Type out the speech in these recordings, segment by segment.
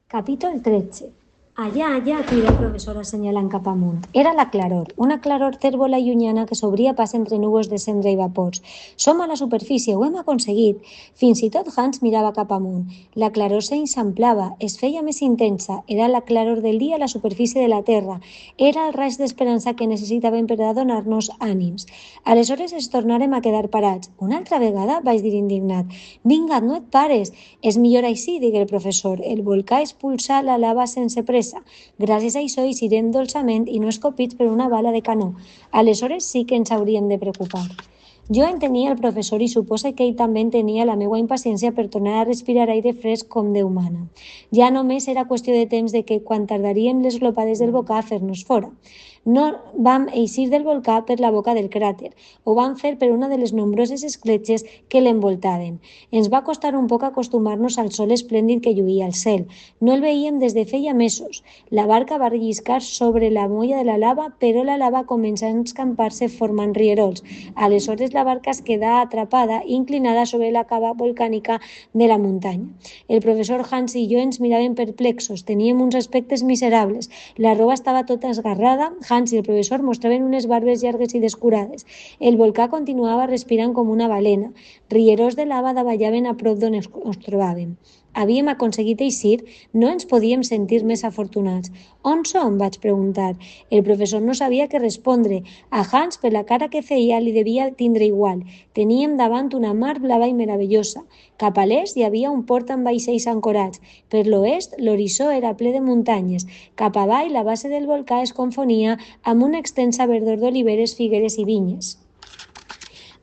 Capítol 13. Allà, allà, cridà el professor assenyalant cap amunt. Era la claror, una claror tèrbola i llunyana que s'obria pas entre núvols de cendra i vapors. Som a la superfície, ho hem aconseguit. Fins i tot Hans mirava cap amunt. La claror s'eixamplava, es feia més intensa. Era la claror del dia a la superfície de la terra. Era el raig d'esperança que necessitàvem per a donar-nos ànims. Aleshores ens tornàrem a quedar parats. Una altra vegada? Vaig dir indignat. Vinga, no et pares. És millor així, digué el professor. El volcà expulsa la lava sense pressa. Gràcies a això eixirem dolçament i no escopits per una bala de canó. Aleshores sí que ens hauríem de preocupar. Jo entenia el professor i suposa que ell també entenia la meua impaciència per tornar a respirar aire fresc com Déu mana. Ja només era qüestió de temps de que quan tardaríem les glopades del volcà a fer-nos fora. No vam eixir del volcà per la boca del cràter, ho vam fer per una de les nombroses escletxes que l'envoltaven. Ens va costar un poc acostumar-nos al sol esplèndid que lluïa al cel. No el veíem des de feia mesos. La barca va relliscar sobre la molla de la lava, però la lava començà a escampar-se formant rierols. Aleshores la barca es quedà atrapada, inclinada sobre la cava volcànica de la muntanya. El professor Hans i jo ens miràvem perplexos, teníem uns aspectes miserables. La roba estava tota esgarrada, Hans i el professor mostraven unes barbes llargues i descurades. El volcà continuava respirant com una balena. Rierols de lava davallaven a prop d'on ens trobàvem. Havíem aconseguit eixir, no ens podíem sentir més afortunats. On som? Vaig preguntar. El professor no sabia què respondre. A Hans, per la cara que feia, li devia tindre igual. Teníem davant una mar blava i meravellosa. Cap a l'est hi havia un port amb vaixells ancorats. Per l'oest, l'horitzó era ple de muntanyes. Cap avall, la base del volcà es confonia amb una extensa verdor d'oliveres, figueres i vinyes.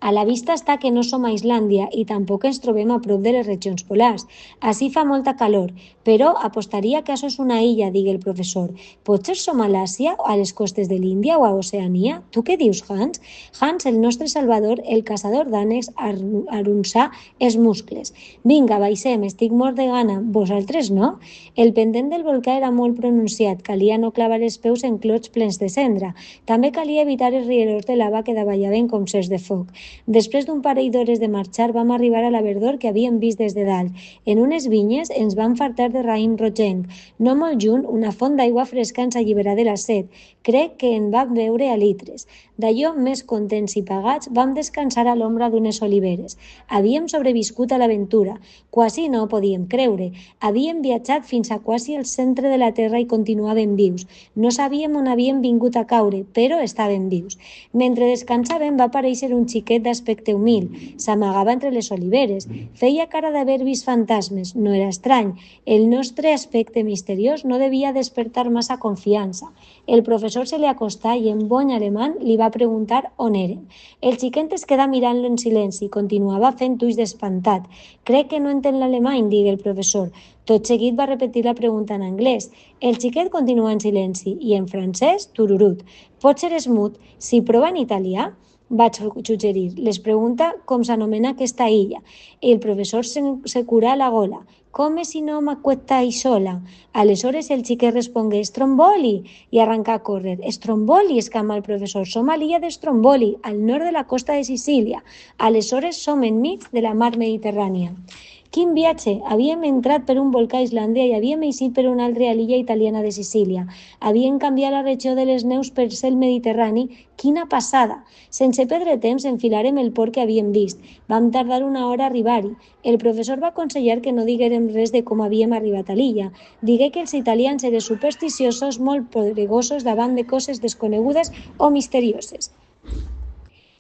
A la vista està que no som a Islàndia i tampoc ens trobem a prop de les regions polars. Ací fa molta calor, però apostaria que això és una illa, digué el professor. Potser som a l'Àsia, a les costes de l'Índia o a Oceania? Tu què dius, Hans? Hans, el nostre salvador, el caçador d'ànecs, arronsà els muscles. Vinga, baixem, estic mort de gana. Vosaltres no? El pendent del volcà era molt pronunciat, calia no clavar els peus en clots plens de cendra. També calia evitar els rierols de lava que davallaven com cercs de foc. Després d'un parell d'hores de marxar vam arribar a la verdor que havíem vist des de dalt. En unes vinyes ens vam fartar de raïm rogenc. No molt lluny, una font d'aigua fresca ens alliberà de la set. Crec que en vam beure a litres. D'allò, més contents i pagats, vam descansar a l'ombra d'unes oliveres. Havíem sobreviscut a l'aventura. Quasi no ho podíem creure. Havíem viatjat fins a quasi el centre de la terra i continuàvem vius. No sabíem on havíem vingut a caure, però estàvem vius. Mentre descansàvem va aparèixer un xiquet d'aspecte humil. S'amagava entre les oliveres. Feia cara d'haver vist fantasmes. No era estrany. El nostre aspecte misteriós no devia despertar massa confiança. El professor se li acostà i en bon alemany li va preguntar on eren. El xiquet es quedà mirant-lo en silenci i continuava fent ulls d'espantat. Crec que no entén l'alemany, digué el professor. Tot seguit va repetir la pregunta en anglès. El xiquet continuà en silenci i en francès, tururut. Potser és mut. Si prova en italià? Vaig suggerir. Les pregunta com s'anomena aquesta illa. El professor se curà la gola. Come si no m'acuestáis sola? Aleshores el xiquet respongué Stromboli i arrencà a córrer. Stromboli, exclamà el professor. Som a l'illa de Stromboli, al nord de la costa de Sicília. Aleshores som enmig de la mar Mediterrània. Quin viatge! Havíem entrat per un volcà a Islàndia i havíem eixit per una altra illa italiana de Sicília. Havíem canviat la regió de les neus per ser el Mediterrani. Quina passada! Sense perdre temps enfilarem el port que havíem vist. Vam tardar una hora a arribar-hi. El professor va aconsellar que no diguérem res de com havíem arribat a l'illa. Digué que els italians eren supersticiosos, molt poderosos davant de coses desconegudes o misterioses.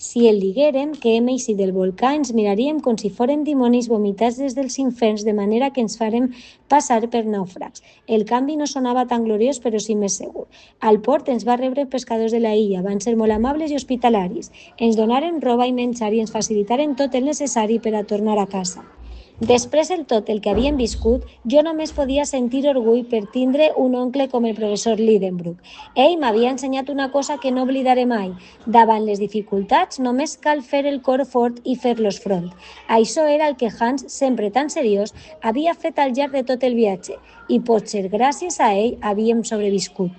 Si el diguérem que hem eixit del volcà, ens miraríem com si fórem dimonis vomitats des dels inferns, de manera que ens farem passar per nàufrags. El canvi no sonava tan gloriós, però sí més segur. Al port ens va rebre pescadors de la illa, van ser molt amables i hospitalaris. Ens donaren roba i menjar i ens facilitaren tot el necessari per a tornar a casa. Després de tot el que havíem viscut, jo només podia sentir orgull per tindre un oncle com el professor Lidenbrock. Ell m'havia ensenyat una cosa que no oblidaré mai. Davant les dificultats només cal fer el cor fort i fer-los front. Això era el que Hans, sempre tan seriós, havia fet al llarg de tot el viatge i potser gràcies a ell havíem sobreviscut.